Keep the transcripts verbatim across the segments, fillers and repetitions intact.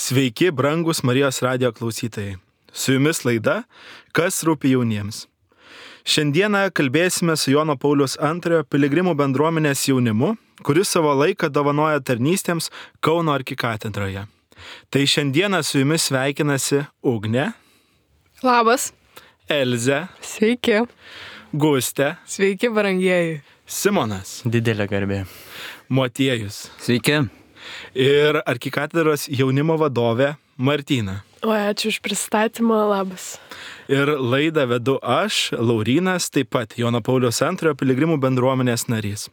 Sveiki, brangus Marijos radijo klausytojai. Su jumis laida Kas rūpi jauniems. Šiandieną kalbėsime su Jono Pauliaus antrojo piligrimų bendruomenės jaunimu, kuris savo laiką dovanoja tarnystėms Kauno arkikatedroje. Tai šiandieną su jumis sveikinasi Ugnė. Labas. Elzė. Sveiki. Gustė. Sveiki, brangieji. Simonas. Didelė garbė. Motiejus. Sveiki. Ir arkikatedros jaunimo vadovė Martyna. O ačiū už pristatymą, labas. Ir laidą vedu aš, Laurynas, taip pat Jono Pauliaus antrojo piligrimų bendruomenės narys.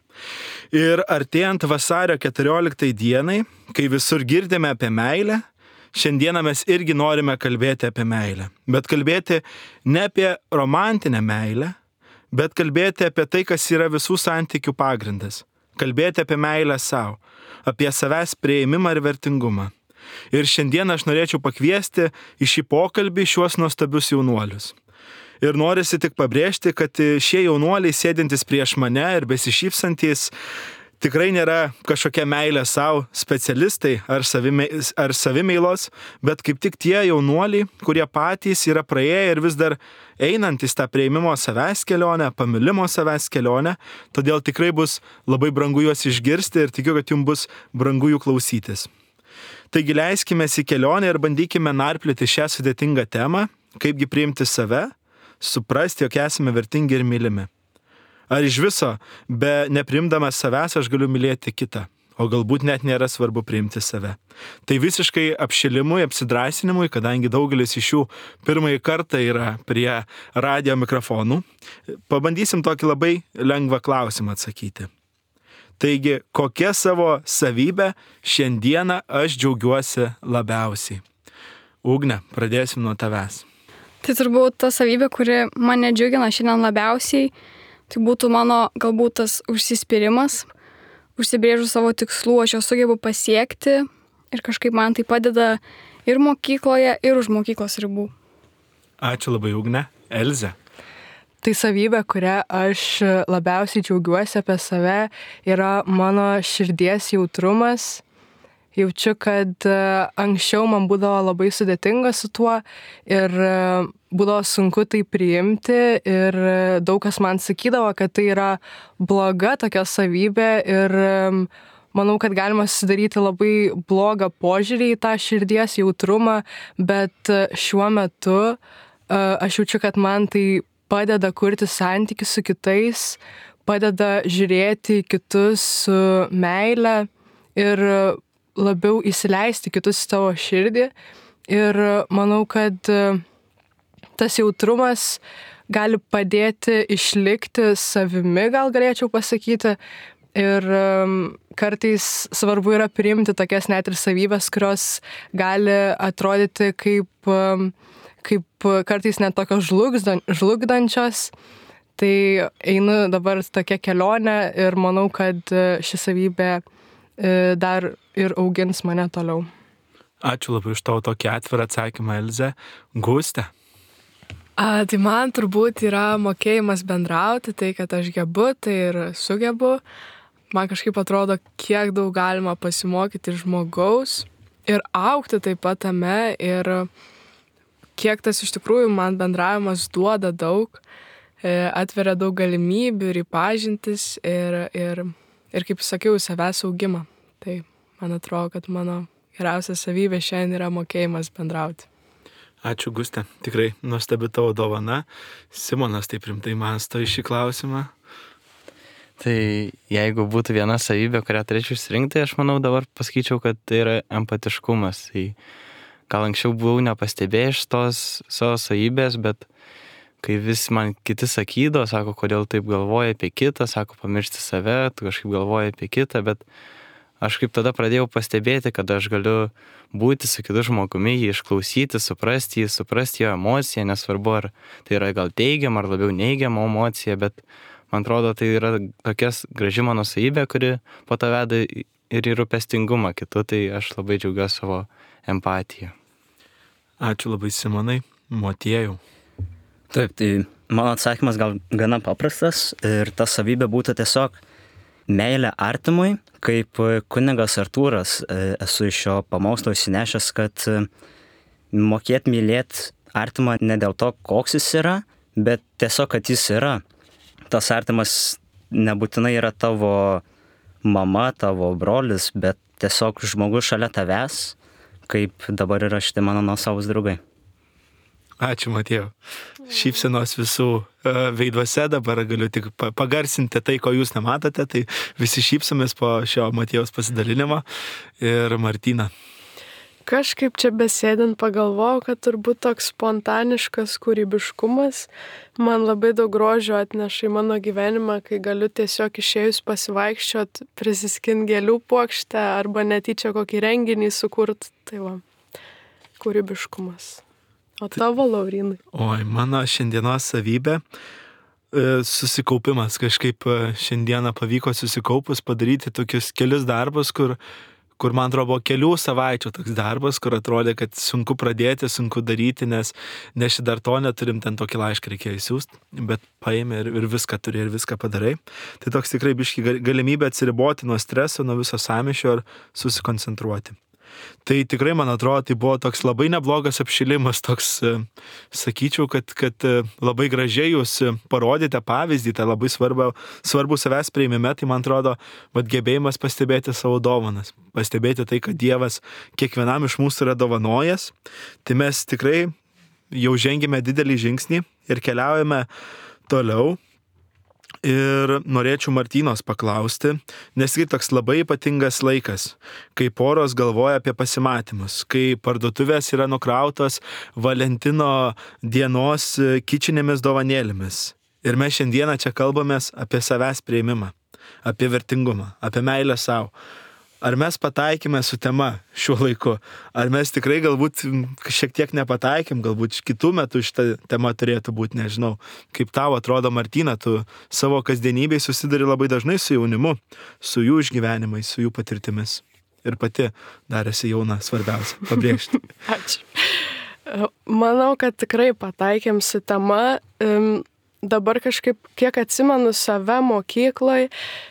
Ir artėjant vasario keturioliktai dienai, kai visur girdime apie meilę, šiandieną mes irgi norime kalbėti apie meilę. Bet kalbėti ne apie romantinę meilę, bet kalbėti apie tai, kas yra visų santykių pagrindas. Kalbėti apie meilę savo, apie savęs priėjimą ir vertingumą. Ir šiandien aš norėčiau pakviesti į šį pokalbį šiuos nuostabius jaunuolius. Ir norisi tik pabrėžti, kad šie jaunuoliai sėdintys prieš mane ir besišypsantys tikrai nėra kažkokia meilė savo specialistai ar, savime, ar savimeilos, bet kaip tik tie jaunuoliai, kurie patys yra praėję ir vis dar einantys tą prieimimo savęs kelionę, pamilimo savęs kelionę, todėl tikrai bus labai brangu juos išgirsti ir tikiu, kad jums bus brangu jų klausytis. Taigi leiskime į kelionę ir bandykime narplioti šią sudėtingą temą, kaipgi priimti save, suprasti, jog esame vertingi ir mylimi. Ar iš viso, be nepriimdamas savęs, aš galiu mylėti kitą, o galbūt net nėra svarbu priimti save. Tai visiškai apšilimui, apsidrasinimui, kadangi daugelis iš jų pirmąjį kartą yra prie radijo mikrofonų, pabandysim tokį labai lengvą klausimą atsakyti. Taigi, kokia savo savybę šiandieną aš džiaugiuosi labiausiai? Ugne, pradėsim nuo tavęs. Tai turbūt ta savybė, kuri mane džiugina šiandien labiausiai, tai būtų mano galbūt tas užsispyrimas, užsibrėžus savo tikslų, aš jau sugebu pasiekti ir kažkaip man tai padeda ir mokykloje, ir už mokyklos ribų. Ačiū labai, Ugne. Elzė. Tai savybė, kurią aš labiausiai džiaugiuosi apie save, yra mano širdies jautrumas. Jaučiu, kad anksčiau man būdavo labai sudėtinga su tuo ir būdavo sunku tai priimti ir daug kas man sakydavo, kad tai yra bloga tokia savybė ir manau, kad galima susidaryti labai blogą požiūrį į tą širdies jautrumą, bet šiuo metu aš jaučiu, kad man tai padeda kurti santykius su kitais, padeda žiūrėti kitus su meile ir labiau įsileisti kitus į savo širdį. Ir manau, kad tas jautrumas gali padėti išlikti savimi, gal galėčiau pasakyti. Ir kartais svarbu yra priimti tokias net ir savybės, kurios gali atrodyti kaip kaip kartais net tokios žlugdančios. Tai einu dabar tokia kelionė ir manau, kad ši savybė dar ir augins mane toliau. Ačiū labai už tavo tokį atvirą atsakymą, Elzė. Gustė. A, tai man turbūt yra mokėjimas bendrauti, tai kad aš gebu, tai ir sugebu. Man kažkaip atrodo, kiek daug galima pasimokyti žmogaus ir augti taip pat tame ir kiek tas iš tikrųjų man bendravimas duoda daug, atveria daug galimybių ir įpažintis ir, ir, ir kaip sakiau, savęs augimą. Tai man atrodo, kad mano geriausia savybė šiandien yra mokėjimas bendrauti. Ačiū, Gustė. Tikrai nuostabi tavo dovana. Simonas taip rimtai mąsto į šį klausimą. Tai jeigu būtų viena savybė, kurią turėčiau išsirinkti, aš manau dabar pasakyčiau, kad tai yra empatiškumas. Tai gal anksčiau buvau nepastebėjęs tos savo savybės, bet kai vis man kiti sakydavo, sako, kodėl taip galvoja apie kitą, sako, pamiršti save, tu kažkaip galvoji apie kitą, bet aš kaip tada pradėjau pastebėti, kad aš galiu būti su kitu žmogumi, jį išklausyti, suprasti jį, suprasti jo emociją, nesvarbu, ar tai yra gal teigiama, ar labiau neigiama emocija, bet man atrodo, tai yra tokia graži mano savybė, kuri po to veda ir į rūpestingumą kitu, tai aš labai džiaugiuosi savo empatiją. Ačiū labai, Simonai. Motiejau. Taip, tai mano atsakymas gal gana paprastas ir ta savybė būtų tiesiog meilė artimui, kaip kunigas Artūras esu iš šio pamokslo įsinešęs, kad mokėt mylėt artimą ne dėl to, koks jis yra, bet tiesiog, kad jis yra. Tas artimas nebūtinai yra tavo mama, tavo brolis, bet tiesiog žmogus šalia tavęs, kaip dabar yra šitie mano nuosavūs draugai. Ačiū, Matėjau. Šypsenos visų veiduose, dabar galiu tik pagarsinti tai, ko jūs nematote, tai visi šypsomės po šio Matėjaus pasidalinimo. Ir Martina. Kažkaip čia besėdint pagalvojau, kad turbūt toks spontaniškas kūrybiškumas man labai daug grožio atneša į mano gyvenimą, kai galiu tiesiog išėjus pasivaikščiot, prisiskint gėlių puokštę arba netyčia kokį renginį sukurt. Tai va, kūrybiškumas. O tavo, Laurinai? Oi, mano šiandienos savybė susikaupimas. Kažkaip šiandieną pavyko susikaupus padaryti tokius kelius darbus, kur kur man atrodo buvo kelių savaičių toks darbas, kur atrodė, kad sunku pradėti, sunku daryti, nes, nes dar to neturim, ten tokį laišką reikėjo įsiųsti, bet paėmė ir, ir viską turi, ir viską padarai. Tai toks tikrai biški galimybė atsiriboti nuo streso, nuo viso sąmyšio ir susikoncentruoti. Tai tikrai, man atrodo, tai buvo toks labai neblogas apšilimas, toks, sakyčiau, kad, kad labai gražiai jūs parodėte pavyzdį, tai labai svarbu, svarbu savęs priėmime, tai man atrodo, vat gebėjimas pastebėti savo dovanas, pastebėti tai, kad Dievas kiekvienam iš mūsų yra dovanojęs, tai mes tikrai jau žengėme didelį žingsnį ir keliaujame toliau. Ir norėčiau Martynos paklausti, nes tai toks labai ypatingas laikas, kai poros galvoja apie pasimatymus, kai parduotuvės yra nukrautos Valentino dienos kičinėmis dovanėlėmis. Ir mes šiandieną čia kalbamės apie savęs priėmimą, apie vertingumą, apie meilę savo. Ar mes pataikėme su tema šiuo laiku? Ar mes tikrai galbūt šiek tiek nepataikėm, galbūt kitų metų šitą temą turėtų būti, nežinau. Kaip tau atrodo, Martina, tu savo kasdienybėj susiduri labai dažnai su jaunimu, su jų išgyvenimais, su jų patirtimis. Ir pati dar esi jauna, svarbiausia, pabrėžti. Ačiū. Manau, kad tikrai pataikėm su tema. Um, Dabar kažkaip, kiek atsimenu save mokykloje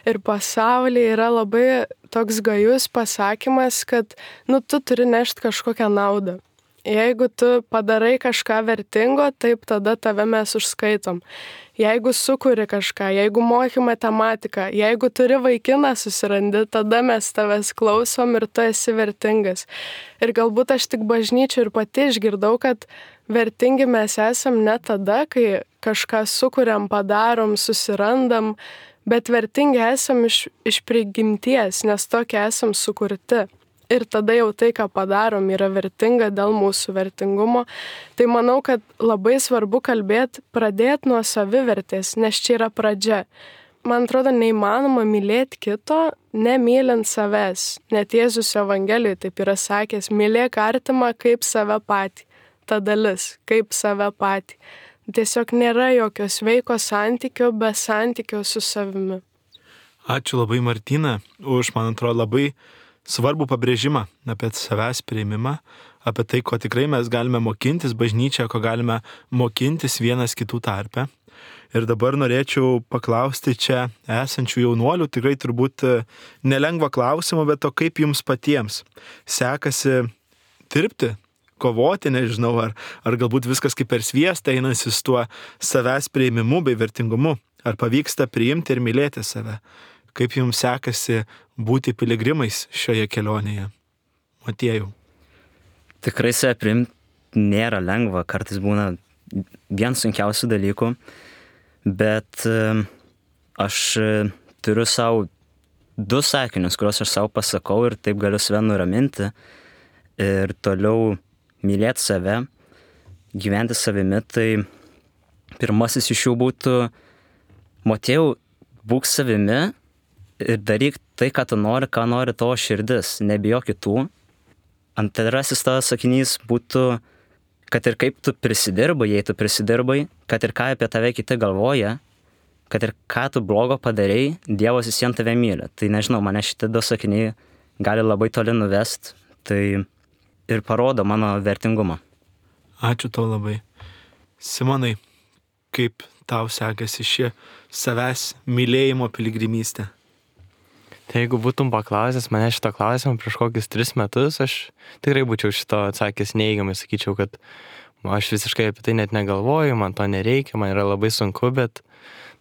ir pasaulyje, yra labai toks gajus pasakymas, kad nu, tu turi nešti kažkokią naudą. Jeigu tu padarai kažką vertingo, taip tada tave mes užskaitom. Jeigu sukuri kažką, jeigu moki matematiką, jeigu turi vaikiną susirandi, tada mes tavęs klausom ir tu esi vertingas. Ir galbūt aš tik bažnyčių ir pati išgirdau, kad vertingi mes esam ne tada, kai kažką sukuriam, padarom, susirandam, bet vertingi esam iš, iš prigimties, nes tokie esam sukurti. Ir tada jau tai, ką padarom, yra vertinga dėl mūsų vertingumo. Tai manau, kad labai svarbu kalbėti, pradėti nuo savivertės, nes čia yra pradžia. Man atrodo, neįmanoma mylėti kito, nemylint savęs. Net Jėzus Evangelijoje taip yra sakęs, mylėk artimą kaip save patį. Ta dalis, kaip save patį. Tiesiog nėra jokio sveiko santykio be santykio su savimi. Ačiū labai, Martina, už, man atrodo, labai svarbų pabrėžimą apie savęs priėmimą, apie tai, ko tikrai mes galime mokintis bažnyčioje, ko galime mokintis vienas kitų tarpe. Ir dabar norėčiau paklausti čia esančių jaunuolių, tikrai turbūt nelengva klausimą, bet to kaip jums patiems sekasi dirbti, kovoti, nežinau, ar, ar galbūt viskas kaip per sviestą einasi su tuo savęs priėmimu bei vertingumu, ar pavyksta priimti ir mylėti save. Kaip jums sekasi būti piligrimais šioje kelionėje? Matėjau. Tikrai save priimti nėra lengva, kartais būna vien sunkiausių dalykų, bet aš turiu savo du sakinius, kuriuos aš savo pasakau ir taip galiu save nuraminti ir toliau mylėti save, gyventi savimi. Tai pirmasis iš jų būtų, Matėjau, būk savimi ir daryk tai, ką tu nori, ką nori tavo širdis, nebijok kitų. Antrasis tavo sakinys būtų, kad ir kaip tu prisidirbai, jei tu prisidirbai, kad ir ką apie tave kiti galvoja, kad ir ką tu blogo padarei, Dievas vis vien tave myli. Tai nežinau, mane šitie du sakiniai gali labai toli nuvest, tai ir parodo mano vertingumą. Ačiū tau labai. Simonai, kaip tau sekasi ši savęs mylėjimo piligrimystė? Tai jeigu būtum paklausęs mane šito klausimą prieš kokius tris metus, aš tikrai būčiau šito atsakęs neigiamai, sakyčiau, kad aš visiškai apie tai net negalvoju, man to nereikia, man yra labai sunku, bet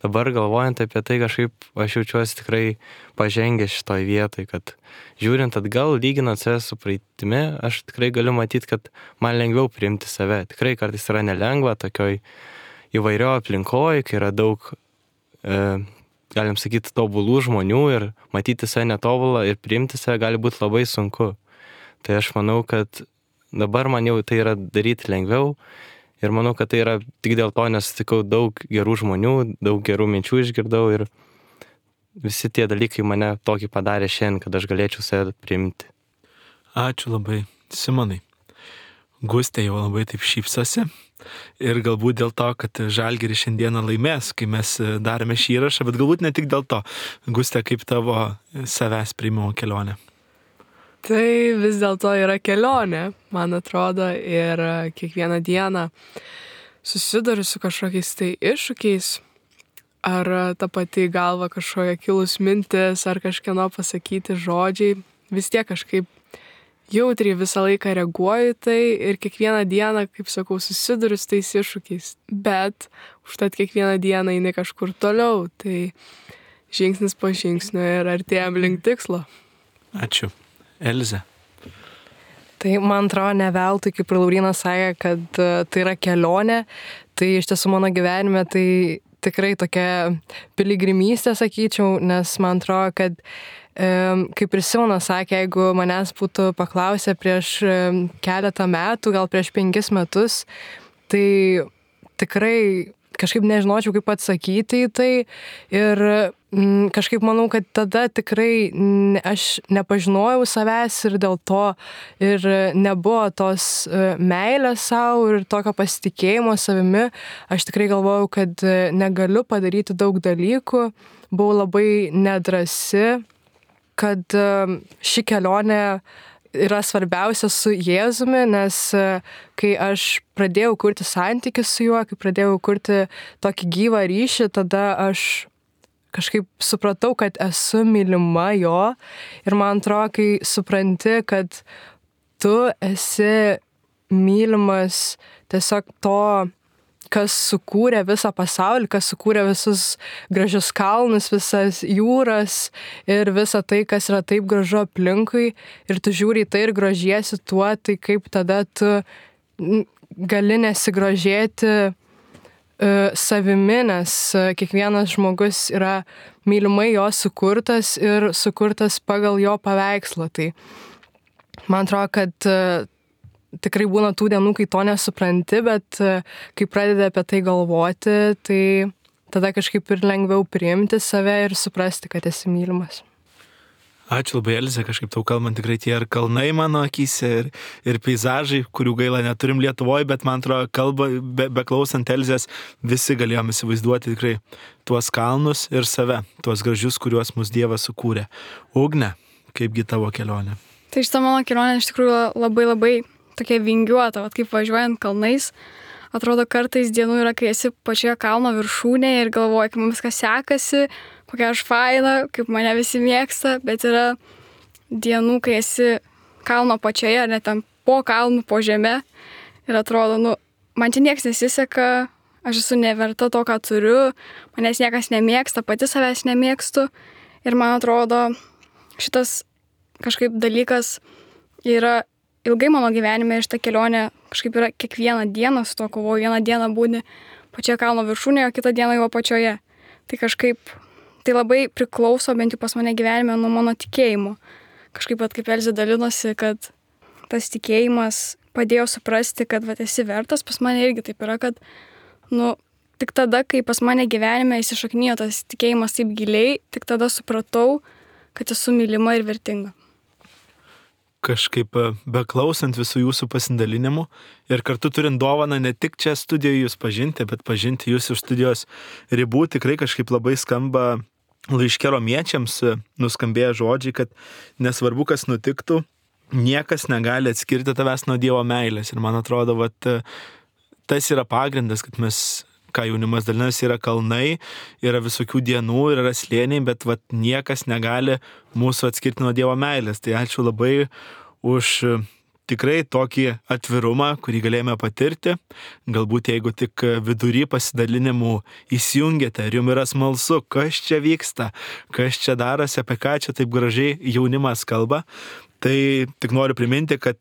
dabar galvojant apie tai kažkaip aš jaučiuosi tikrai pažengęs šitoj vietoj, kad žiūrint atgal, lyginant save su praeitimi, aš tikrai galiu matyti, kad man lengviau priimti save. Tikrai kartais yra nelengva tokioj įvairio aplinkoje, kai yra daug, e, galim sakyti, tobulų žmonių ir matyti save netobulą ir priimti save gali būti labai sunku. Tai aš manau, kad dabar man jau tai yra daryti lengviau ir manau, kad tai yra tik dėl to, nes sutikau daug gerų žmonių, daug gerų minčių išgirdau ir visi tie dalykai mane tokį padarė šiandien, kad aš galėčiau save priimti. Ačiū labai, Simonai. Gustė jau labai taip šypsosi ir galbūt dėl to, kad Žalgiris šiandieną laimės, kai mes darėme šį įrašą, bet galbūt ne tik dėl to. Gustė, kaip tavo savęs priimimo kelionė? Tai vis dėlto yra kelionė, man atrodo, ir kiekvieną dieną susiduriu su kažkokiais tai iššūkiais, ar ta pati galva kažkokia kilus mintis, ar kažkieno pasakyti žodžiai, vis tiek kažkaip jautriai visą laiką reaguoju tai ir kiekvieną dieną, kaip sakau, susiduriu su tais iššūkiais. Bet užtat kiekvieną dieną eini kažkur toliau, tai žingsnis po žingsnio ir artėjam link tikslo. Ačiū. Elze. Tai man atrodo ne veltui, kaip ir Laurynas sakė, kad tai yra kelionė, tai iš tiesų mano gyvenime tai tikrai tokia piligrimystė, sakyčiau, nes man atrodo, kad kaip ir Simonas sakė, jeigu manęs būtų paklausę prieš keletą metų, gal prieš penkis metus, tai tikrai kažkaip nežinočiau, kaip atsakyti į tai ir m, kažkaip manau, kad tada tikrai ne, aš nepažinojau savęs ir dėl to ir nebuvo tos meilės savo ir tokio pasitikėjimo savimi. Aš tikrai galvojau, kad negaliu padaryti daug dalykų, buvau labai nedrasi, kad ši kelionė yra svarbiausia su Jėzumi, nes kai aš pradėjau kurti santykį su juo, kai pradėjau kurti tokį gyvą ryšį, tada aš kažkaip supratau, kad esu mylima jo ir man atrodo, kai supranti, kad tu esi mylimas tiesiog to, kas sukūrė visą pasaulį, kas sukūrė visus gražius kalnus, visas jūras ir visą tai, kas yra taip gražu aplinkui ir tu žiūri į tai ir grožiesi tuo, tai kaip tada tu gali nesigrožėti uh, savimi, nes uh, kiekvienas žmogus yra mylimai jo sukurtas ir sukurtas pagal jo paveikslą. Tai man atrodo, kad uh, tikrai būna tų dienų, kai to nesupranti, bet kai pradedi apie tai galvoti, tai tada kažkaip ir lengviau priimti save ir suprasti, kad esi mylimas. Ačiū labai, Elze, kažkaip tau kalbant, tikrai tie ir kalnai mano akyse, ir, ir peizažai, kurių gaila neturim Lietuvoje, bet man atrodo, kalba, be, beklausant Elzės, visi galėjom įsivaizduoti tikrai tuos kalnus ir save, tuos gražius, kuriuos mūsų Dievas sukūrė. Ugne, kaipgi tavo kelionė? Tai šita mano kelionė iš tikrųjų labai labai tokia vingiuota, vat kaip važiuojant kalnais, atrodo kartais dienų yra, kai esi pačioje kalno viršūnėje ir galvoji, kaip mums viskas sekasi, kokia aš faina, kaip mane visi mėgsta, bet yra dienų, kai esi kalno pačioje, net ten po kalnų, po žeme ir atrodo, nu, man čia nieks nesiseka, aš esu neverta to, ką turiu, manęs niekas nemėgsta, pati savęs nemėgstu ir man atrodo, šitas kažkaip dalykas yra ilgai mano gyvenime ir šitą kelionę kažkaip yra kiekvieną dieną su to kovoju. Vieną dieną būni pačioje kalno viršūnėje, o kitą dieną jau apačioje. Tai kažkaip, tai labai priklauso bent jau pas mane gyvenime nuo mano tikėjimo. Kažkaip, kaip Elzė dalinosi, kad tas tikėjimas padėjo suprasti, kad vat, esi vertas, pas mane irgi taip yra, kad nu, tik tada, kai pas mane gyvenime įsišaknijo tas tikėjimas taip giliai, tik tada supratau, kad esu mylima ir vertinga. Kažkaip beklausant visų jūsų pasidalinimų ir kartu turint dovaną ne tik čia studijoje jūs pažinti, bet pažinti jūs iš studijos ribų, tikrai kažkaip labai skamba laiške romiečiams nuskambėję žodžiai, kad nesvarbu, kas nutiktų, niekas negali atskirti tavęs nuo Dievo meilės. Ir man atrodo, vat, tas yra pagrindas, kad mes ką jaunimas dalinasi, yra kalnai, yra visokių dienų, yra slėniai, bet vat, niekas negali mūsų atskirti nuo Dievo meilės. Tai ačiū labai už tikrai tokį atvirumą, kurį galėjome patirti. Galbūt jeigu tik vidury pasidalinimų įsijungėte ir jums yra smalsu, kas čia vyksta, kas čia darosi, apie ką čia taip gražiai jaunimas kalba, tai tik noriu priminti, kad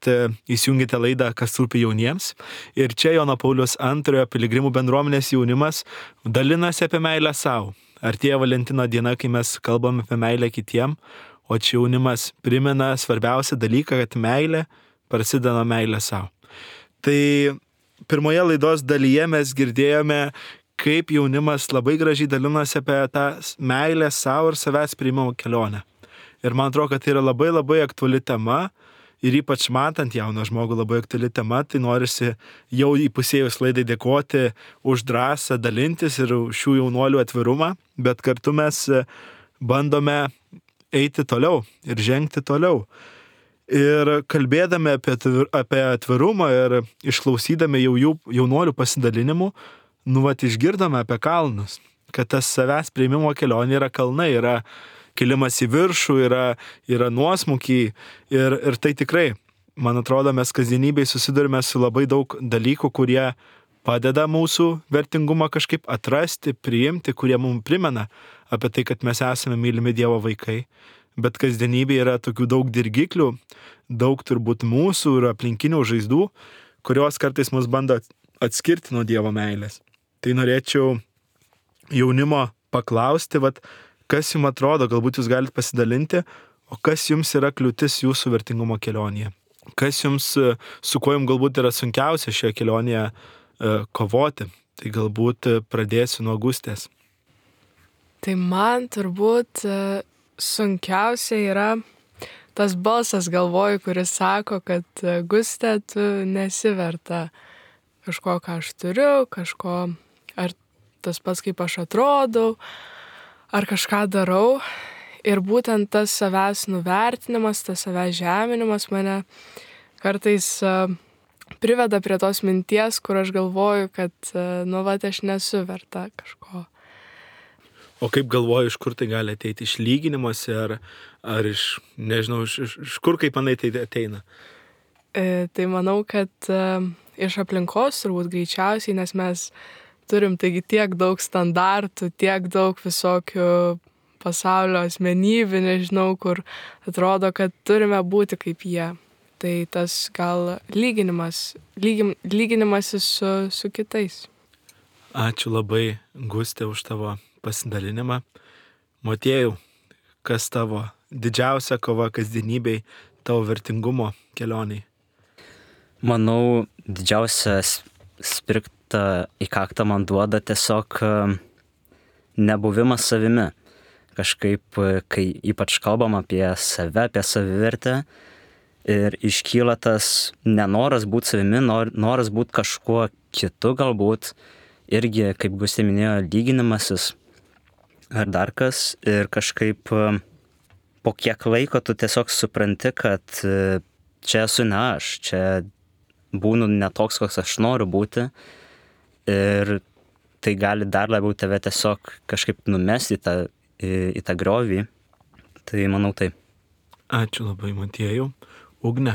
įsijungite laidą Kas rūpi jauniems. Ir čia Jono Pauliaus antrojo piligrimų bendruomenės jaunimas dalinasi apie meilę savo. Artėja Valentino diena, kai mes kalbame apie meilę kitiem, o čia jaunimas primena svarbiausią dalyką, kad meilė prasideda nuo meilė savo. Tai pirmoje laidos dalyje mes girdėjome, kaip jaunimas labai gražiai dalinasi apie tą meilę savo ir savęs priimimo kelionę. Ir man atrodo, kad tai yra labai labai aktuali tema ir ypač matant jauną žmogų labai aktuali tema, tai norisi jau įpusėjus laidai dėkoti už drąsą dalintis ir už šių jaunuolių atvirumą, bet kartu mes bandome eiti toliau ir žengti toliau. Ir kalbėdami apie, apie atvirumą ir išklausydami jau jų jaunuolių pasidalinimų, nu vat išgirdome apie kalnus, kad tas savęs priimimo kelionė yra kalnai, yra kilimas į viršų, yra, yra nuosmukiai ir, ir tai tikrai, man atrodo, mes kasdienybėje susidurime su labai daug dalykų, kurie padeda mūsų vertingumą kažkaip atrasti, priimti, kurie mums primena apie tai, kad mes esame mylimi Dievo vaikai. Bet kasdienybėje yra tokių daug dirgiklių, daug turbūt mūsų ir aplinkinių žaizdų, kurios kartais mus bando atskirti nuo Dievo meilės. Tai norėčiau jaunimo paklausti, vat, kas jums atrodo, galbūt jūs galite pasidalinti, o kas jums yra kliūtis jūsų vertingumo kelionėje? Kas jums, su kuo jums galbūt yra sunkiausia šioje kelionėje kovoti? Tai galbūt pradėsiu nuo Gustės. Tai man turbūt sunkiausia yra tas balsas galvoj, kuris sako, kad Gustė, tu nesiverta kažko, ką aš turiu, kažko, ar tas pats, kaip aš atrodau, ar kažką darau. Ir būtent tas savęs nuvertinimas, tas savęs žeminimas mane kartais uh, priveda prie tos minties, kur aš galvoju, kad, uh, nu, va, aš nesu verta kažko. O kaip galvoju, iš kur tai gali ateiti? Iš lyginimuose ar, ar iš, nežinau, iš, iš, iš kur, kaip manai, tai ateina? E, tai manau, kad uh, iš aplinkos turbūt greičiausiai, nes mes turim taigi tiek daug standartų, tiek daug visokių pasaulio asmenybių, nežinau, kur atrodo, kad turime būti kaip jie. Tai tas gal lyginimas, lygim, lyginimasis su, su kitais. Ačiū labai, Gustė, už tavo pasidalinimą. Motiejau, kas tavo didžiausia kova kasdienybei, tavo vertingumo kelioniai? Manau, didžiausias spirkt į kaktą man duoda tiesiog nebuvimas savimi. Kažkaip, kai ypač kalbam apie save, apie savivertę ir iškyla tas nenoras būti savimi, nor, noras būti kažkuo kitu galbūt, irgi, kaip Gustė minėjo, lyginimasis ar dar kas, ir kažkaip po kiek laiko tu tiesiog supranti, kad čia esu ne aš, čia būnu ne toks, koks aš noriu būti. Ir tai gali dar labiau tave tiesiog kažkaip numesti į tą, į, į tą griovį. Tai manau taip. Ačiū labai, Motiejau. Ugne.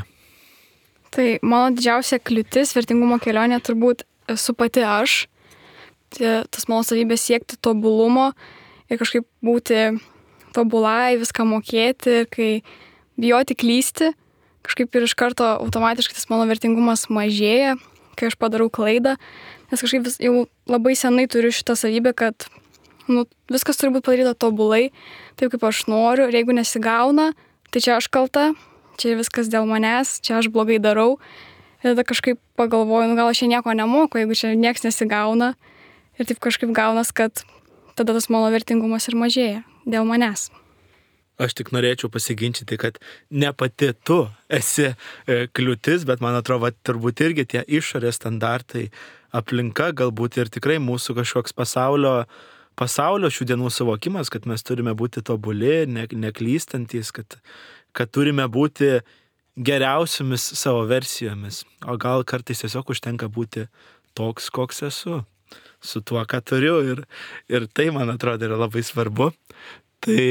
Tai mano didžiausia kliūtis vertingumo kelionė turbūt esu pati aš. Tai, tas mano savybės siekti tobulumo ir kažkaip būti tobulai, viską mokėti, ir kai bijoti klysti, kažkaip ir iš karto automatiškai tas mano vertingumas mažėja, kai aš padarau klaidą. Nes kažkaip vis, jau labai senai turiu šitą savybę, kad nu, viskas turi būti padaryta tobulai, taip kaip aš noriu, ir jeigu nesigauna, tai čia aš kalta, čia viskas dėl manęs, čia aš blogai darau. Ir tada kažkaip pagalvoju, nu gal aš čia nieko nemoku, jeigu čia nieks nesigauna. Ir taip kažkaip gaunas, kad tada tas mano vertingumas ir mažėja dėl manęs. Aš tik norėčiau pasiginčyti, kad ne pati tu esi kliūtis, bet man atrodo, turbūt irgi tie išorės standartai, aplinka galbūt ir tikrai mūsų kažkoks pasaulio, pasaulio šių dienų suvokimas, kad mes turime būti tobuli, ne, neklystantys, kad, kad turime būti geriausiomis savo versijomis. O gal kartais tiesiog užtenka būti toks, koks esu. su tuo, ką turiu ir, ir tai, man atrodo, yra labai svarbu. Tai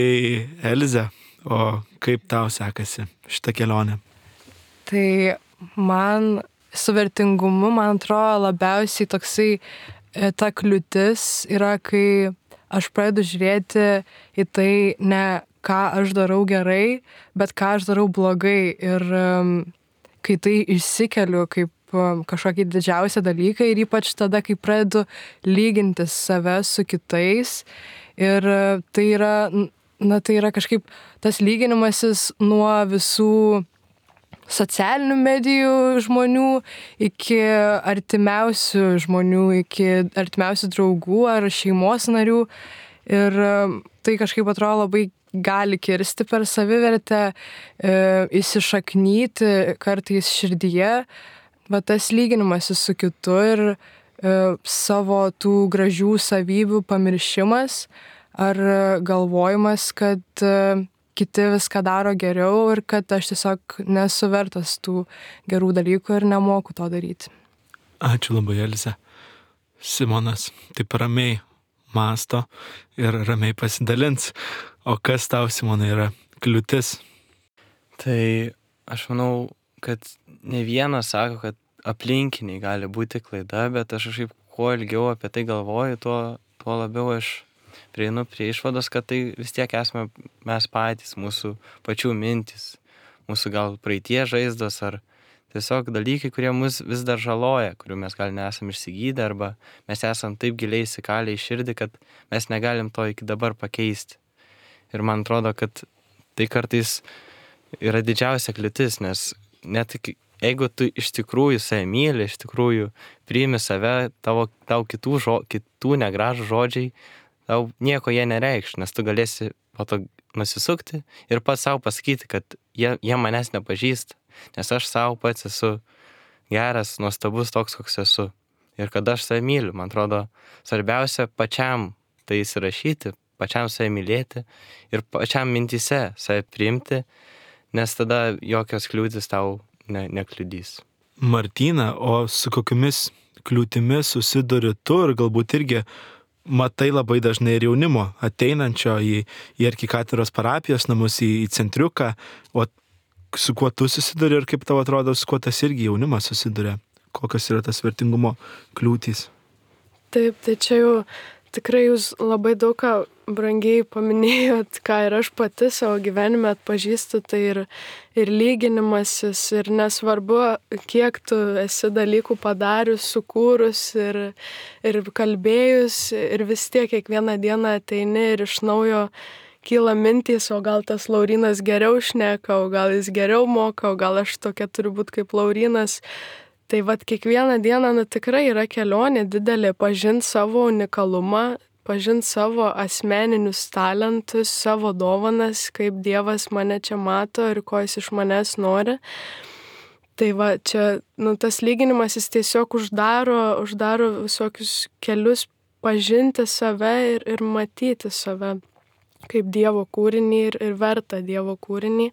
Elze, o kaip tau sekasi šitą kelionę? Tai man su vertingumu, man atrodo, labiausiai toksai ta kliūtis yra, kai aš pradedu žiūrėti į tai ne ką aš darau gerai, bet ką aš darau blogai. Ir um, kai tai išsikeliu kaip um, kažkokį didžiausią dalyką ir ypač tada, kai pradedu lyginti save su kitais. Ir uh, tai yra, na, tai yra kažkaip tas lyginimasis nuo visų socialinių medijų žmonių iki artimiausių žmonių, iki artimiausių draugų ar šeimos narių. Ir tai kažkaip atrodo labai gali kirsti per savivertę, e, įsišaknyti kartais širdyje, bet tas lyginimasis su kitu ir e, savo tų gražių savybių pamiršimas ar galvojimas, kad e, kiti viską daro geriau ir kad aš tiesiog nesu vertas tų gerų dalykų ir nemoku to daryti. Ačiū labai, Elze. Simonas taip ramiai mąsto ir ramiai pasidalins. O kas tau, Simonai, yra kliūtis? Tai aš manau, kad ne vienas sako, kad aplinkiniai gali būti klaida, bet aš kažkaip kuo ilgiau apie tai galvoju, tuo, tuo labiau aš prieinu prie išvados, kad tai vis tiek esame mes patys, mūsų pačių mintis, mūsų gal praeitie žaizdos ar tiesiog dalykai, kurie mus vis dar žaloja, kurių mes gal nesam išsigydę arba mes esam taip giliai įsikalę į širdį, kad mes negalim to iki dabar pakeisti. Ir man atrodo, kad tai kartais yra didžiausia kliūtis, nes net jeigu tu iš tikrųjų save myli, iš tikrųjų priimi save, tavo, tau kitų, žo, kitų negražų žodžiai, tau nieko jie nereikš, nes tu galėsi po to nusisukti ir pats savo pasakyti, kad jie, jie manęs nepažįsta, nes aš savo pats esu geras, nuostabus toks, koks esu. Ir kad aš save myliu, man atrodo, svarbiausia pačiam tai įsirašyti, pačiam save mylėti ir pačiam mintyse save priimti, nes tada jokios kliūtis tau ne, nekliudys. Martyna, o su kokiamis kliūtimis susiduri tu ir galbūt irgi matai labai dažnai ir jaunimo ateinančio į, į arkikatedros parapijos namus, į, į centriuką, o su kuo tu susiduri ir kaip tau atrodo, su kuo tas irgi jaunimas susiduria? Kokios yra tas vertingumo kliūtys? Taip, tai čia jau tikrai jūs labai daug ką brangiai paminėjot, ką ir aš pati savo gyvenime atpažįstu, tai ir, ir lyginimasis, ir nesvarbu, kiek tu esi dalykų padarius, sukūrus ir, ir kalbėjus, ir vis tiek kiekvieną dieną ateini ir iš naujo kyla mintys, o gal tas Laurynas geriau šneka, o gal jis geriau moka, o gal aš tokia turiu būti kaip Laurynas. Tai vat kiekvieną dieną nu, tikrai yra kelionė didelė, pažinti savo unikalumą, pažinti savo asmeninius talentus, savo dovanas, kaip Dievas mane čia mato ir ko jis iš manęs nori. Tai va, čia nu, tas lyginimas jis tiesiog uždaro, uždaro visokius kelius pažinti save ir, ir matyti save kaip Dievo kūrinį ir, ir vertą Dievo kūrinį.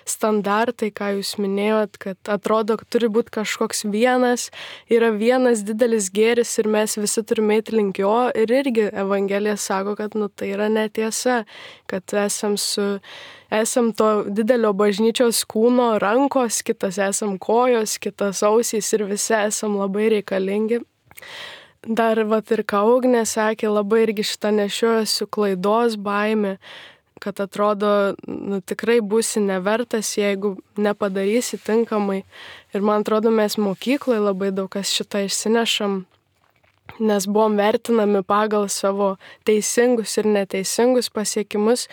Standartai, ką jūs minėjot, kad atrodo, kad turi būti kažkoks vienas, yra vienas didelis gėris ir mes visi turime eiti link jo. Ir irgi Evangelija sako, kad nu, tai yra netiesa, kad esam, su, esam to didelio bažnyčios kūno rankos, kitas esam kojos, kitas ausys ir visi esam labai reikalingi. Dar vat ir ką Ugnė sakė, labai irgi šitą nešiojuosi klaidos baimė, kad atrodo, nu, tikrai būsi nevertas, jeigu nepadarysi tinkamai. Ir man atrodo, mes mokykloje labai daug kas šitą išsinešam, nes buvom vertinami pagal savo teisingus ir neteisingus pasiekimus.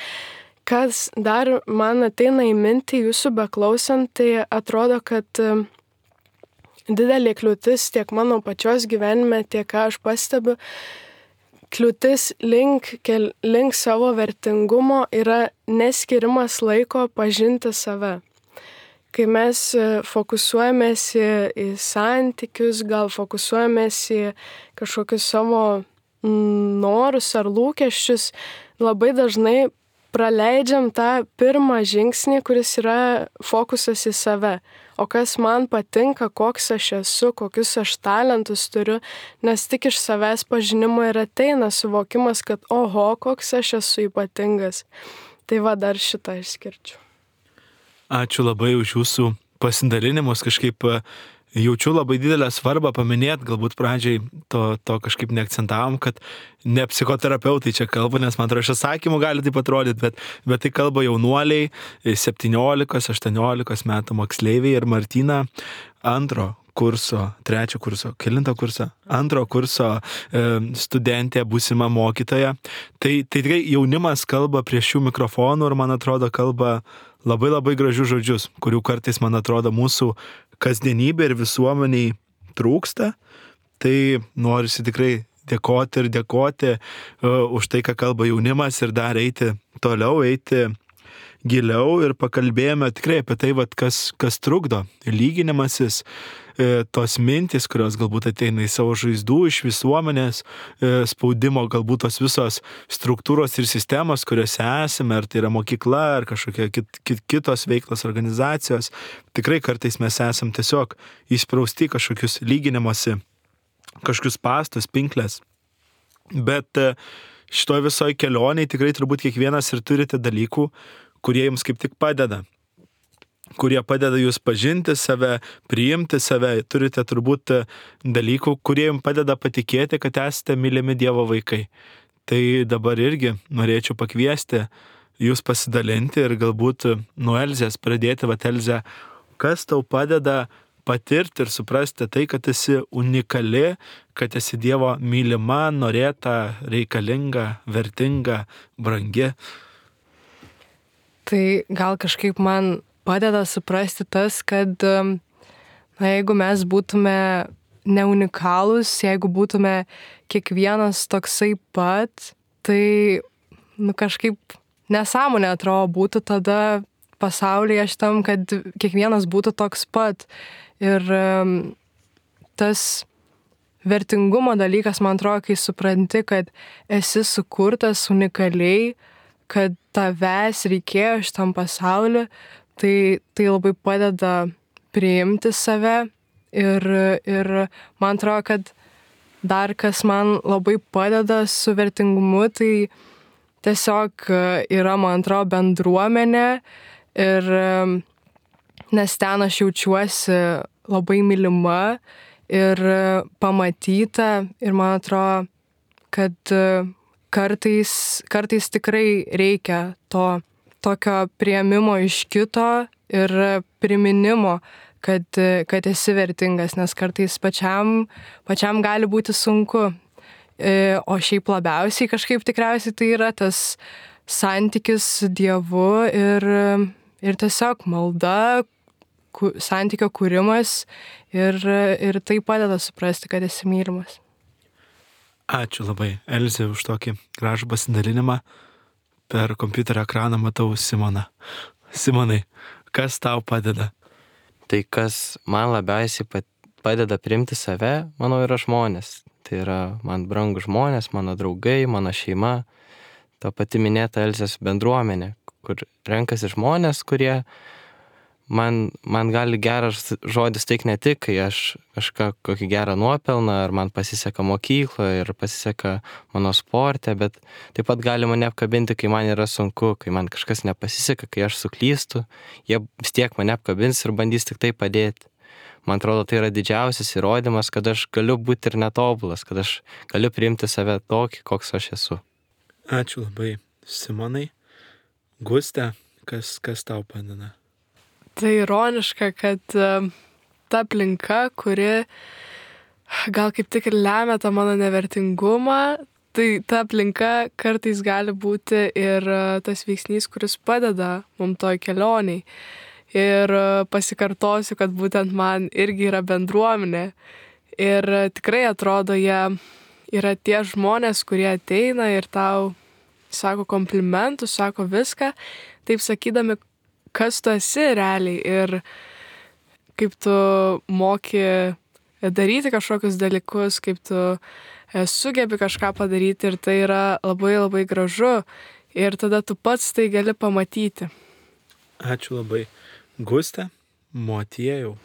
Kas dar man ateina į mintį jūsų beklausant, tai atrodo, kad didelė kliūtis tiek mano pačios gyvenime, tiek ką aš pastebiu, kliūtis link, kel, link savo vertingumo yra neskirimas laiko pažinti save. Kai mes fokusuojamės į, į santykius, gal fokusuojamės į kažkokius savo norus ar lūkesčius, labai dažnai praleidžiam tą pirmą žingsnį, kuris yra fokusas į save. O kas man patinka, koks aš esu, kokius aš talentus turiu, nes tik iš savęs pažinimo ir ateina suvokimas, kad oho, koks aš esu ypatingas. Tai va, dar šitą išskirčiau. Ačiū labai už jūsų pasidalinimus, kažkaip jaučiu labai didelę svarbą paminėti, galbūt pradžiai to, to kažkaip neakcentavom, kad ne psichoterapeutai čia kalba, nes man atrodo, iš atsakymų gali taip atrodyti, bet, bet tai kalba jaunuoliai, septyniolikos aštuoniolikos metų moksleiviai ir Martina antro kurso, trečio kurso, kelinto kurso, antro kurso e, studentė, būsima mokytoja. Tai, tai tikrai jaunimas kalba prie šių mikrofonų ir man atrodo kalba labai labai gražius žodžius, kurių kartais man atrodo mūsų kasdienybė ir visuomeniai trūksta. Tai norisi tikrai dėkoti ir dėkoti uh, už tai, ką kalba jaunimas ir dar eiti toliau, eiti giliau ir pakalbėjome tikrai apie tai, vat, kas, kas trukdo. Lyginimasis, e, tos mintis, kurios galbūt ateina į savo žaizdų iš visuomenės, e, spaudimo, galbūt tos visos struktūros ir sistemos, kuriuose esame, ar tai yra mokykla, ar kažkokia kit, kit, kitos veiklos organizacijos. Tikrai kartais mes esam tiesiog įsprausti kažkokius lyginimosi, kažkokius pastus, pinklės. Bet e, šitoj visoj kelioniai tikrai turbūt kiekvienas ir turite dalykų, kurie jums kaip tik padeda, kurie padeda jūs pažinti save, priimti save. Turite turbūt dalykų, kurie jums padeda patikėti, kad esate mylimi Dievo vaikai. Tai dabar irgi norėčiau pakviesti jūs pasidalinti ir galbūt nuo Elzės pradėti. Vat Elze, kas tau padeda patirti ir suprasti tai, kad esi unikali, kad esi Dievo mylima, norėta, reikalinga, vertinga, brangi? Tai gal kažkaip man padeda suprasti tas, kad na, jeigu mes būtume neunikalūs, jeigu būtume kiekvienas toksai pat, tai nu, kažkaip nesąmonė atrodo būtų tada pasaulyje šitam, kad kiekvienas būtų toks pat. Ir um, tas vertingumo dalykas, man atrodo, kai supranti, kad esi sukurtas unikaliai, kad tavęs reikėjo šitam pasauliu, tai, tai labai padeda priimti save ir, ir man atrodo, kad dar kas man labai padeda su vertingumu, tai tiesiog yra, man atrodo, bendruomenė ir nes ten aš jaučiuosi labai mylima ir pamatyta ir man atrodo, kad Kartais, kartais tikrai reikia to tokio priėmimo iš kito ir priminimo, kad, kad esi vertingas, nes kartais pačiam, pačiam gali būti sunku. O šiaip labiausiai kažkaip tikriausiai tai yra tas santykis su Dievu ir, ir tiesiog malda, ku, santykio kūrimas ir, ir tai padeda suprasti, kad esi mylimas. Ačiū labai, Elzė, už tokį gražų pasidalinimą. Per kompiuterio ekraną matau Simoną. Simonai, kas tau padeda? Tai kas man labiausiai padeda priimti save, manau, yra žmonės. Tai yra man brangūs žmonės, mano draugai, mano šeima. Ta pati minėta Elzės bendruomenė, kur renkasi žmonės, kurie man, man gali geras žodis teikti ne tik, kai aš kažką kokį gerą nuopelną, ar man pasiseka mokykloje ir pasiseka mano sporte, bet taip pat gali mane apkabinti, kai man yra sunku, kai man kažkas nepasiseka, kai aš suklystu, jie vis tiek mane apkabins ir bandys tik tai padėti. Man atrodo, tai yra didžiausias įrodymas, kad aš galiu būti ir netobulas, kad aš galiu priimti save tokį, koks aš esu. Ačiū labai, Simonai. Guste, kas, kas tau padeda? Tai ironiška, kad uh, ta aplinka, kuri gal kaip tik ir lemia tą mano nevertingumą, tai ta aplinka kartais gali būti ir uh, tas veiksnys, kuris padeda mums toj kelioniai. Ir uh, pasikartosiu, kad būtent man irgi yra bendruomenė. Ir uh, tikrai atrodo, jie yra tie žmonės, kurie ateina ir tau sako komplimentus, sako viską, taip sakydami, kas tu esi realiai ir kaip tu moki daryti kažkokius dalykus, kaip tu sugebi kažką padaryti ir tai yra labai labai gražu. ir tada tu pats tai gali pamatyti. Ačiū labai. Gustė, Motiejau.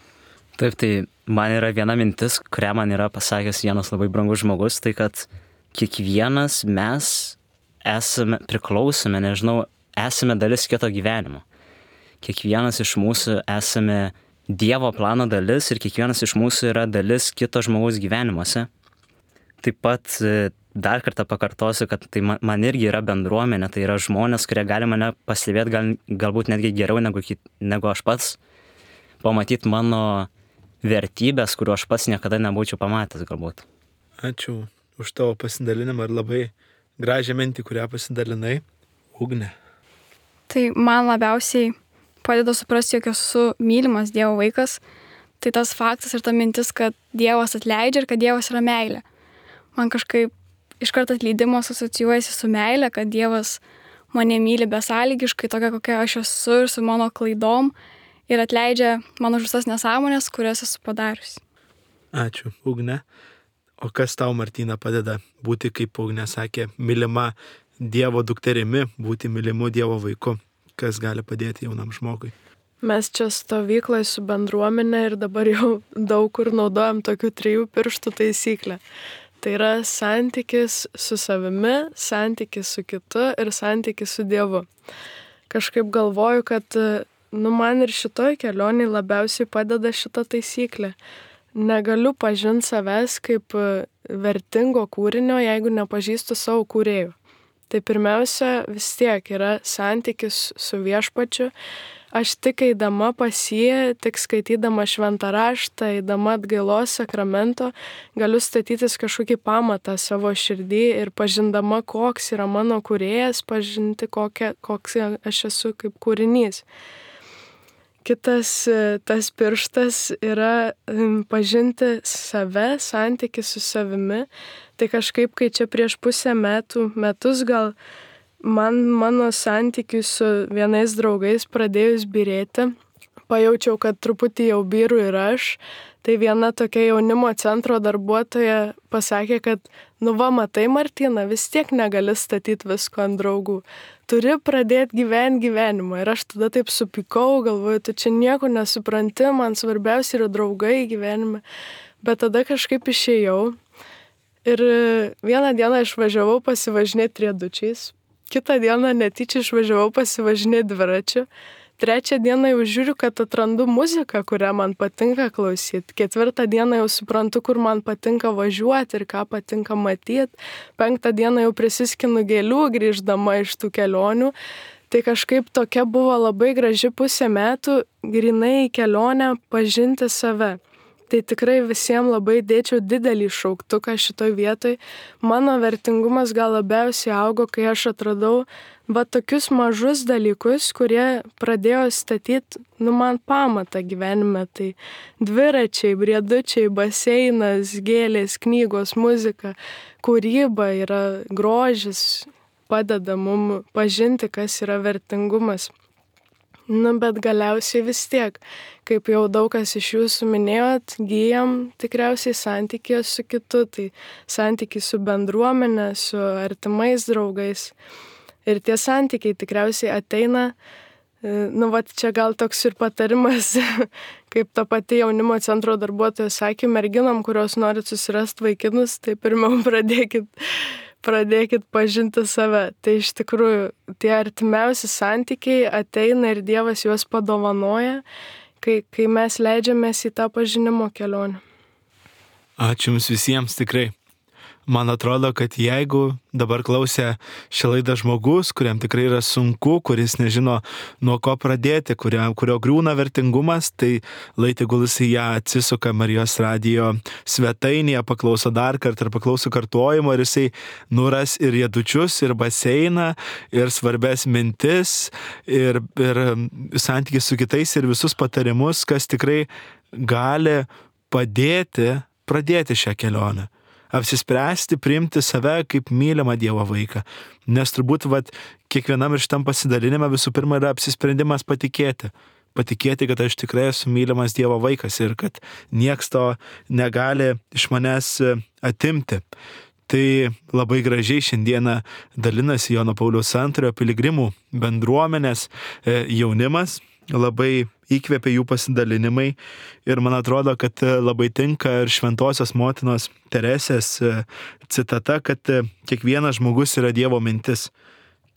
Taip, tai man yra viena mintis, kurią man yra pasakęs vienas labai brangus žmogus, tai kad kiekvienas mes esame priklausome, nežinau, esame dalis kito gyvenimo. Kiekvienas iš mūsų esame Dievo plano dalis ir kiekvienas iš mūsų yra dalis kito žmogaus gyvenimuose. Taip pat dar kartą pakartosiu, kad tai man irgi yra bendruomenė, tai yra žmonės, kurie gali mane pastebėti gal, galbūt netgi geriau negu, negu aš pats, pamatyti mano vertybės, kuriuo aš pats niekada nebūčiau pamatęs galbūt. Ačiū už tavo pasidalinimą ir labai gražią mintį, kurią pasidalinai. Ugnė. Tai man labiausiai padeda suprasti, jog esu mylimas Dievo vaikas, tai tas faktas ir ta mintis, kad Dievas atleidžia ir kad Dievas yra meilė. Man kažkaip iškart atleidimas asocijuojasi su meilė, kad Dievas mane myli besąlygiškai, tokia kokia aš esu ir su mano klaidom ir atleidžia mano visas nesąmonės, kurias esu padariusi. Ačiū, Ugnė. O kas tau, Martyna, padeda būti, kaip Ugnė sakė, mylima Dievo dukterimi, būti mylimu Dievo vaiku? Kas gali padėti jaunam žmogui? Mes čia stovykloje su bendruomenė ir dabar jau daug kur naudojam tokių trijų pirštų taisyklę. Tai yra santykis su savimi, santykis su kitu ir santykis su Dievu. Kažkaip galvoju, kad nu, man ir šitoj kelionėj labiausiai padeda šita taisyklė. Negaliu pažinti savęs kaip vertingo kūrinio, jeigu nepažįstu savo kūrėjų. Tai pirmiausia vis tiek yra santykis su viešpačiu. Aš tik eidama pas jį, tik skaitydama šventą raštą, eidama atgailos sakramento, galiu statytis kažkokį pamatą savo širdį ir pažindama, koks yra mano kūrėjas, pažinti, kokia, koks aš esu kaip kūrinys. Kitas tas pirštas yra pažinti save, santykis su savimi. Tai kažkaip, kai čia prieš pusę metų, metus gal man mano santykiai su vienais draugais pradėjus byrėti, pajaučiau, kad truputį jau byru ir aš. Tai viena tokia jaunimo centro darbuotoja pasakė, kad nu va, matai, Martyna, vis tiek negali statyti visko ant draugų. Turi pradėti gyventi gyvenimą. Ir aš tada taip supykau, galvoju, tu čia nieko nesupranti, man svarbiausia yra draugai gyvenime. Bet tada kažkaip išėjau. Ir vieną dieną išvažiavau pasivažinėti riedučiais, kitą dieną netyčia išvažiavau pasivažinėti dviračiu, trečią dieną jau žiūriu, kad atrandu muziką, kurią man patinka klausyti, ketvirtą dieną jau suprantu, kur man patinka važiuoti ir ką patinka matyti, penktą dieną jau prisiskinu gėlių grįždama iš tų kelionių. Tai kažkaip tokia buvo labai graži pusė metų, grynai į kelionę pažinti save. Tai tikrai visiems labai dėčiau didelį šauktuką šitoj vietoj. Mano vertingumas gal labiausiai augo, kai aš atradau va tokius mažus dalykus, kurie pradėjo statyti, nu, man pamatą gyvenime. Tai dviračiai, briedučiai, baseinas, gėlės, knygos, muzika, kūryba yra grožis, padeda mums pažinti, kas yra vertingumas. Nu, bet galiausiai vis tiek, kaip jau daug kas iš jūsų minėjot, gyjam tikriausiai santykį su kitu, tai santykį su bendruomenė, su artimais draugais. Ir tie santykiai tikriausiai ateina, nu, va, čia gal toks ir patarimas, kaip ta pati jaunimo centro darbuotoja sakė, merginom, kurios norit susirasti vaikinus, tai pirmiau pradėkit pradėkit pažinti save. Tai iš tikrųjų tie artimiausi santykiai ateina ir Dievas juos padovanoja, kai, kai mes leidžiamės į tą pažinimo kelionę. Ačiū Jums visiems tikrai. Man atrodo, kad jeigu dabar klausė šią laidą žmogus, kuriam tikrai yra sunku, kuris nežino nuo ko pradėti, kurio, kurio griūna vertingumas, tai lai tegul jis į ją atsisuka Marijos radijo svetainėje, paklauso dar kartą ir paklauso kartojimo ir jisai nuras ir riedučius, ir baseiną, ir svarbės mintis, ir, ir santykis su kitais, ir visus patarimus, kas tikrai gali padėti pradėti šią kelionę. Apsispręsti, priimti save kaip mylimą Dievo vaiką. Nes turbūt vat, kiekvienam ir šitam pasidalinime visų pirma yra apsisprendimas patikėti. Patikėti, kad aš tikrai esu mylimas Dievo vaikas ir kad nieks to negali iš manęs atimti. Tai labai gražiai šiandieną dalinasi Jono Pauliaus antrojo piligrimų bendruomenės jaunimas, labai įkvėpė jų pasidalinimai ir man atrodo, kad labai tinka ir šventosios motinos Teresės citata, kad kiekvienas žmogus yra Dievo mintis.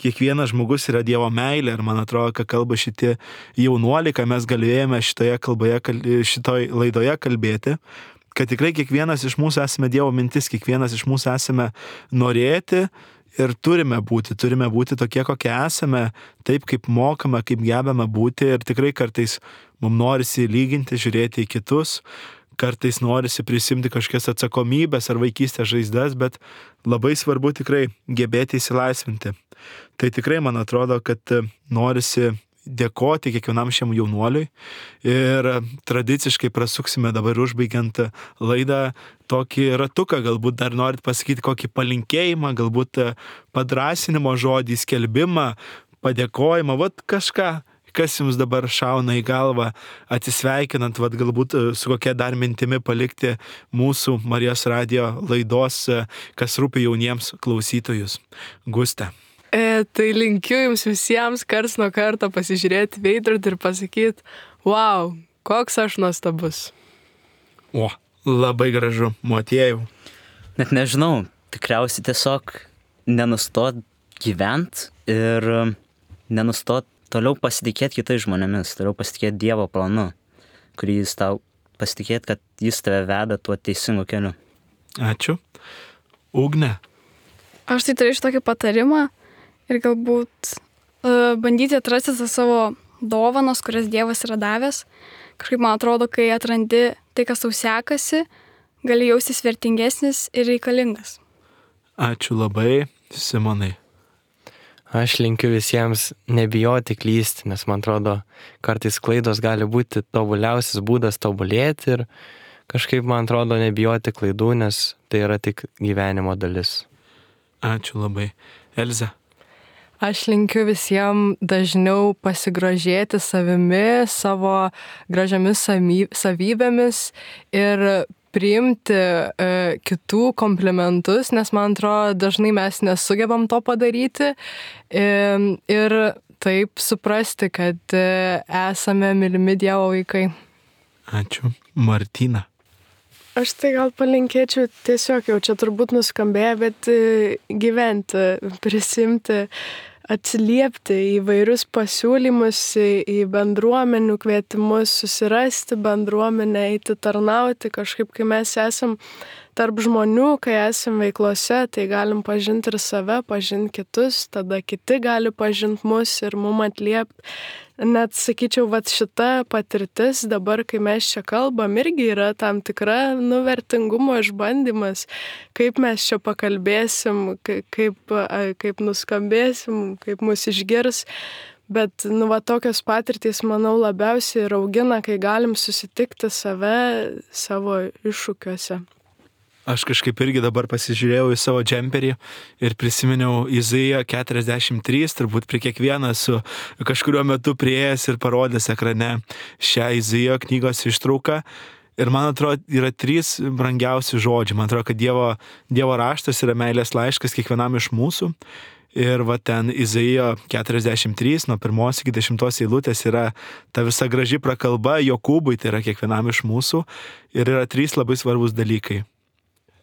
Kiekvienas žmogus yra Dievo meilė ir man atrodo, kad kalba šitie jaunuoliai, ką mes galėjome šitoje kalboje, šitoj laidoje kalbėti, kad tikrai kiekvienas iš mūsų esame Dievo mintis, kiekvienas iš mūsų esame norėti ir turime būti, turime būti tokie, kokie esame, taip kaip mokame, kaip gebame būti ir tikrai kartais mums norisi lyginti, žiūrėti į kitus, kartais norisi prisimti kažkokias atsakomybės ar vaikystės žaizdas, bet labai svarbu tikrai gebėti įsilaisvinti. Tai tikrai man atrodo, kad norisi dėkoti kiekvienam šiam jaunuoliui ir tradiciškai prasuksime dabar užbaigiant laidą tokį ratuką, galbūt dar norit pasakyti kokį palinkėjimą, galbūt padrąsinimo žodį, skelbimą, padėkojimą, vat kažką, kas jums dabar šauna į galvą, atsisveikinant, vat galbūt su kokia dar mintimi palikti mūsų Marijos radijo laidos, kas rūpi jauniems klausytojus. Guste. E, tai linkiu jums visiems karts nuo karto pasižiūrėti veidrodį ir pasakyti, wow, koks aš nuostabus. O, labai gražu, Motiejau. Net nežinau, tikriausiai tiesiog nenustot gyvent ir nenustot toliau pasitikėti kitais žmonėmis, toliau pasitikėti Dievo planu, kurį jis tau pasitikėti, kad jis tave veda tuo teisingu keliu. Ačiū. Ugne. Aš tai turėčiau tokį patarimą ir galbūt uh, bandyti atrasti tas savo dovanas, kurias Dievas yra davęs. Kažkaip man atrodo, kai atrandi tai, kas tau sekasi, gali jaustis vertingesnis ir reikalingas. Ačiū labai, Simonai. Aš linkiu visiems nebijoti klysti, nes man atrodo, kartais klaidos gali būti tobuliausias būdas tobulėti ir kažkaip man atrodo nebijoti klaidų, nes tai yra tik gyvenimo dalis. Ačiū labai. Elze. Aš linkiu visiems dažniau pasigrožėti savimi, savo gražiamis savybėmis ir priimti e, kitų komplimentus, nes man atrodo, dažnai mes nesugebam to padaryti e, ir taip suprasti, kad e, esame mylimi Dievo vaikai. Ačiū. Martina. Aš tai gal palinkėčiau tiesiog jau čia turbūt nuskambėjo, bet gyventi, prisimti, atsiliepti į vairius pasiūlymus, į bendruomenių kvietimus, susirasti bendruomenę, eiti tarnauti. Kažkaip, kai mes esam tarp žmonių, kai esam veiklose, tai galim pažinti ir save, pažinti kitus, tada kiti gali pažinti mus ir mum atliepti. Net sakyčiau, vat šita patirtis dabar, kai mes čia kalbam, irgi yra tam tikra nuvertingumo išbandymas, kaip mes čia pakalbėsim, kaip, kaip nuskambėsim, kaip mus išgirs. Bet, nu, va, tokios patirtys, manau, labiausiai ir augina, kai galim susitikti save savo iššūkiuose. Aš kažkaip irgi dabar pasižiūrėjau į savo džemperį ir prisiminiau Izaiją keturiasdešimt trys, turbūt prie kiekvieną su kažkuriuo metu prieėjęs ir parodęs ekrane šią Izaijo knygos ištrauką. Ir man atrodo, yra trys brangiausi žodžiai. Man atrodo, kad Dievo, Dievo raštas yra meilės laiškas kiekvienam iš mūsų. Ir va ten Izaijo keturiasdešimt trys, nuo pirmos iki dešimtos eilutės yra ta visa graži prakalba Jokūbui, tai yra kiekvienam iš mūsų. Ir yra trys labai svarbus dalykai.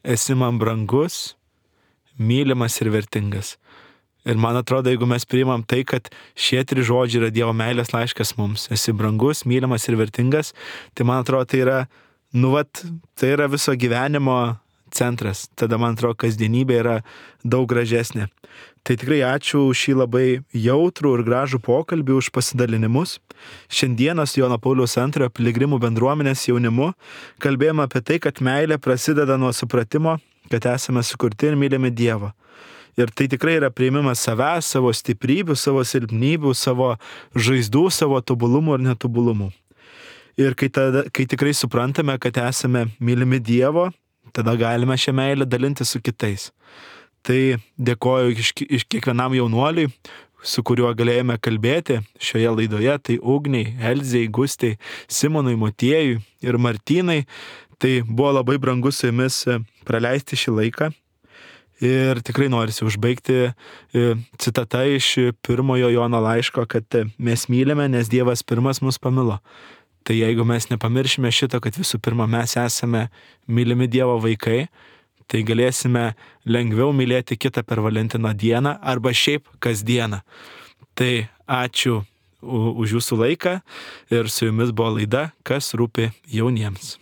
Esi man brangus, mylimas ir vertingas. Ir man atrodo, jeigu mes priimam tai, kad šie trys žodžiai yra Dievo meilės laiškas mums, esi brangus, mylimas ir vertingas, tai man atrodo, tai yra, nu vat, tai yra viso gyvenimo centras. Tada man atrodo, kasdienybė yra daug gražesnė. Tai tikrai ačiū už šį labai jautrų ir gražų pokalbį, už pasidalinimus. Šiandieną su Jono Pauliaus antrojo piligrimų bendruomenės jaunimu kalbėjome apie tai, kad meilė prasideda nuo supratimo, kad esame sukurti ir mylimi Dievą. Ir tai tikrai yra priėmimas savęs, savo stiprybių, savo silpnybių, savo žaizdų, savo tobulumų ir netobulumų. Ir kai, tada, kai tikrai suprantame, kad esame mylimi Dievo, tada galime šią meilę dalinti su kitais. Tai dėkoju iš, iš kiekvienam jaunuoliui, su kuriuo galėjome kalbėti šioje laidoje, tai Ugniai, Elzei, Gustei, Simonui, Motiejui ir Martynai. Tai buvo labai brangu su jumis praleisti šį laiką. Ir tikrai norisi užbaigti citata iš pirmojo Jono laiško, kad mes mylime, nes Dievas pirmas mus pamilo. Tai jeigu mes nepamiršime šito, kad visų pirma mes esame mylimi Dievo vaikai, tai galėsime lengviau mylėti kitą per Valentino dieną arba šiaip kasdieną. Tai ačiū už jūsų laiką ir su jumis buvo laida Kas rūpi jauniems.